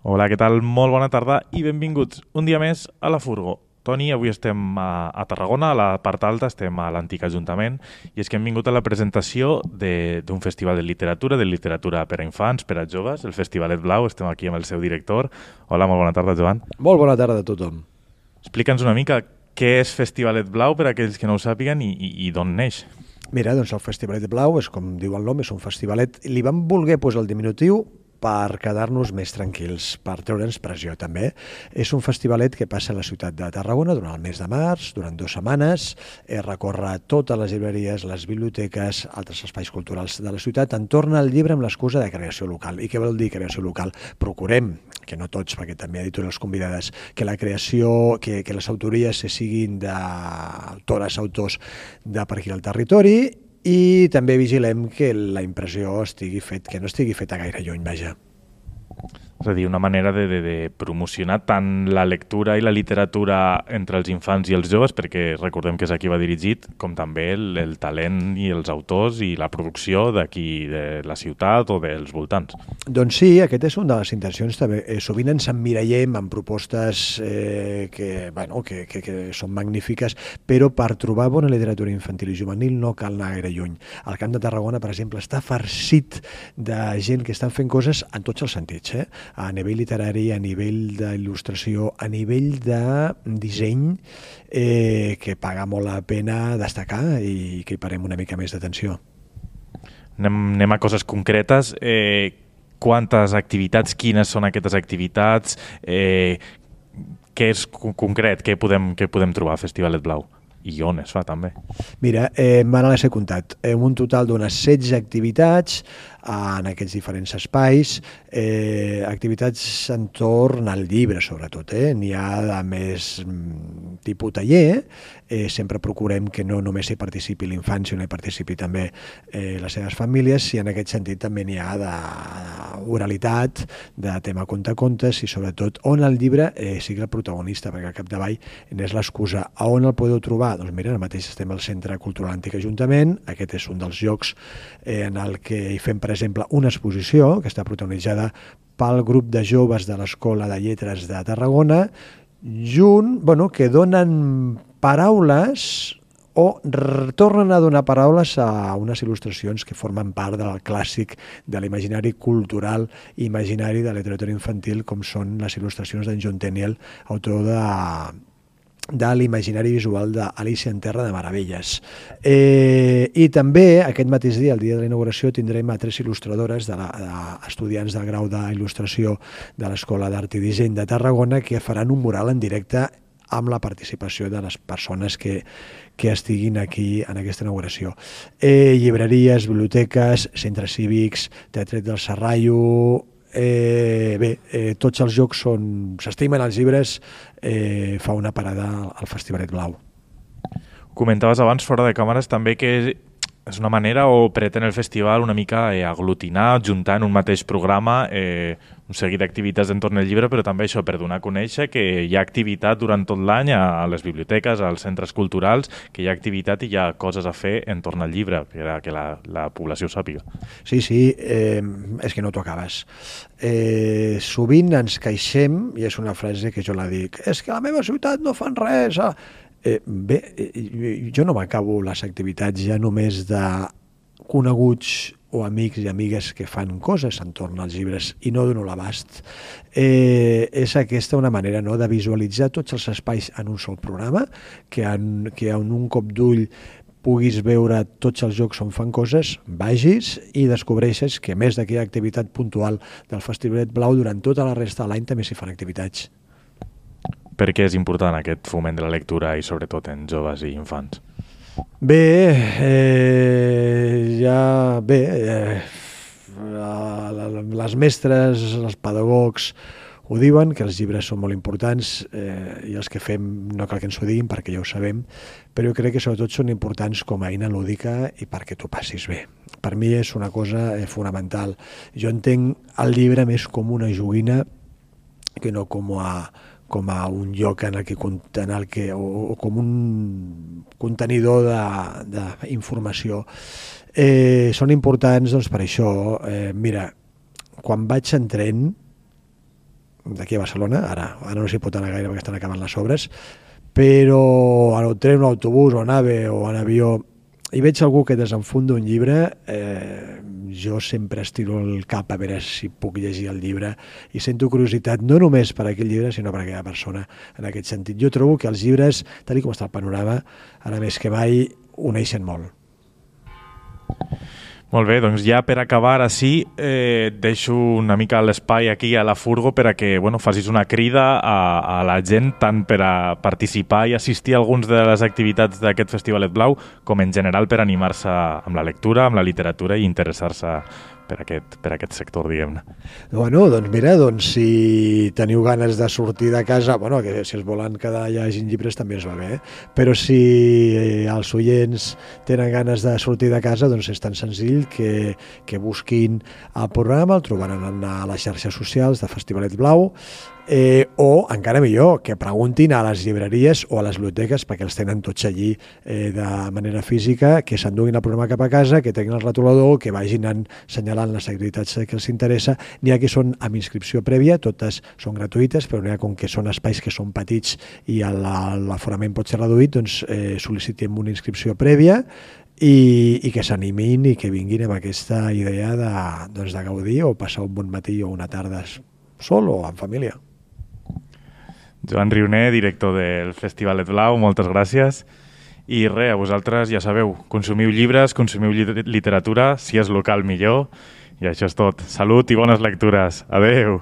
Hola, què tal? Molt bona tarda i benvinguts un dia més a la Furgo. Toni, avui estem a Tarragona, a la part alta, estem a l'antic Ajuntament, i és que hem vingut a la presentació d'un festival de literatura per a infants, per a joves, el Festivalet Blau. Estem aquí amb el seu director. Hola, molt bona tarda, Joan. Molt bona tarda a tothom. Explica'ns una mica què és Festivalet Blau per a aquells que no ho sàpiguen i d'on neix. Mira, doncs el Festivalet Blau és, com diu el nom, és un festivalet. Li vam voler posar el diminutiu per quedar-nos més tranquils, per treure'ns pressió també. És un festivalet que passa a la ciutat de Tarragona durant el mes de març, durant 2 setmanes, recorre totes les llibreries, les biblioteques, altres espais culturals de la ciutat, entorn al llibre amb l'excusa de creació local. I què vol dir creació local? Procurem, que no tots, perquè també hi ha editorials convidades, que la creació, que les autories siguin d'autores, autors de per aquí al territori, i també vigilem que la impressió que no estigui feta gaire lluny, vaja. És a dir, una manera de promocionar tant la lectura i la literatura entre els infants i els joves, perquè recordem que és a qui va dirigit, com també el talent i els autors i la producció d'aquí, de la ciutat o dels voltants. Doncs sí, aquest és una de les intencions també. Sovint ens emmirallem en propostes que són magnífiques, però per trobar bona literatura infantil i juvenil no cal anar gaire lluny. El Camp de Tarragona, per exemple, està farcit de gent que estan fent coses en tots els sentits, a nivell literari, a nivell d'il·lustració, a nivell de disseny, que paga molt la pena destacar i que hi parem una mica més d'atenció. Anem a coses concretes. Quantes activitats, quines són aquestes activitats, què és concret, què podem trobar al Festivalet Blau? I on es fa, també? Mira, ara les he comptat. Un total d'unes 16 activitats en aquests diferents espais, activitats entorn al llibre, sobretot. N'hi ha de més tipus taller, sempre procurem que no només hi participi l'infant, sinó hi participi també les seves famílies, i en aquest sentit també n'hi ha d'oralitat, de tema contacontes, i sobretot on el llibre sigui el protagonista, perquè al capdavall és l'excusa. A on el podeu trobar? Doncs mira, ara mateix estem al Centre Cultural Antic Ajuntament. Aquest és un dels llocs en el que hi fem, per exemple, una exposició que està protagonitzada pel grup de joves de l'Escola de Lletres de Tarragona, que donen paraules o tornen a donar paraules a unes il·lustracions que formen part del clàssic de l'imaginari cultural i imaginari de la literatura infantil, com són les il·lustracions d'en John Tenniel, autor de l'imaginari visual d'Alícia en Terra de Meravelles. I també aquest mateix dia, el dia de la inauguració, tindrem a 3 il·lustradores, estudiants del grau d'il·lustració de l'Escola d'Art i Disseny de Tarragona, que faran un mural en directe amb la participació de les persones que estiguin aquí en aquesta inauguració. Llibreries, biblioteques, centres cívics, Teatret del Serrallo. Tots els jocs s'estimen els llibres, fa una parada al Festivalet Blau. Comentaves abans, fora de càmeres, també que és una manera, o pretén el festival una mica aglutinar, juntar en un mateix programa un seguit d'activitats entorn al llibre, però també això per donar a conèixer que hi ha activitat durant tot l'any a les biblioteques, als centres culturals, que hi ha activitat i hi ha coses a fer entorn al llibre, per que la població ho sàpiga. Sí, és que no t'ho acabes. Sovint ens queixem, i és una frase que jo la dic, és que a la meva ciutat no fan res. Jo no m'acabo les activitats ja només de coneguts o amics i amigues que fan coses entorn als llibres i no dono l'abast. És aquesta una manera de visualitzar tots els espais en un sol programa, que en un cop d'ull puguis veure tots els jocs on fan coses, vagis i descobreixes que a més d'aquella activitat puntual del Festivalet Blau, durant tota la resta de l'any també s'hi fan activitats. Per què és important aquest foment de la lectura i sobretot en joves i infants? Les mestres, els pedagogs ho diuen, que els llibres són molt importants, i els que fem no cal que ens ho diguin perquè ja ho sabem, però jo crec que sobretot són importants com a eina lúdica i perquè t'ho passis bé. Per mi és una cosa fonamental. Jo entenc el llibre més com una joguina que no com a un lloc o com un contenidor d'informació. Són importants per això. Mira, quan vaig en tren d'aquí a Barcelona, ara no s'hi pot anar gaire perquè estan acabant les obres, però en el tren, en l'autobús, o en AVE, o en avió, i veig algú que desenfunda un llibre, jo sempre estiro el cap a veure si puc llegir el llibre i sento curiositat no només per aquell llibre sinó per aquella persona en aquest sentit. Jo trobo que els llibres, tal com està el panorama, ara més que mai uneixen molt. Molt bé, doncs ja per acabar així deixo una mica l'espai aquí a la Furgo per a que facis una crida a la gent tant per a participar i assistir a algunes de les activitats d'aquest Festivalet Blau com en general per animar-se amb la lectura, amb la literatura i interessar-se per aquest sector, diguem-ne. Bueno, doncs mira, si teniu ganes de sortir de casa, que si es volen quedar llegint llibres també es va bé, però si els oients tenen ganes de sortir de casa, doncs és tan senzill que busquin el programa, el trobaran a les xarxes socials de Festivalet Blau, o encara millor, que preguntin a les llibreries o a les biblioteques, perquè els tenen tots allí de manera física, que s'enduguin el programa cap a casa, que tinguin el retolador, que vagin assenyalant les activitats que els interessa. N'hi ha que són amb inscripció prèvia, totes són gratuïtes, però n'hi ha com que són espais que són petits i l'aforament pot ser reduït, doncs sol·licitem una inscripció prèvia i que s'animin i que vinguin amb aquesta idea de gaudir o passar un bon matí o una tarda sol o en família. Joan Rioner, director del Festivalet Blau, moltes gràcies. I res, a vosaltres ja sabeu, consumiu llibres, consumiu literatura, si és local millor, i això és tot. Salut i bones lectures. Adeu!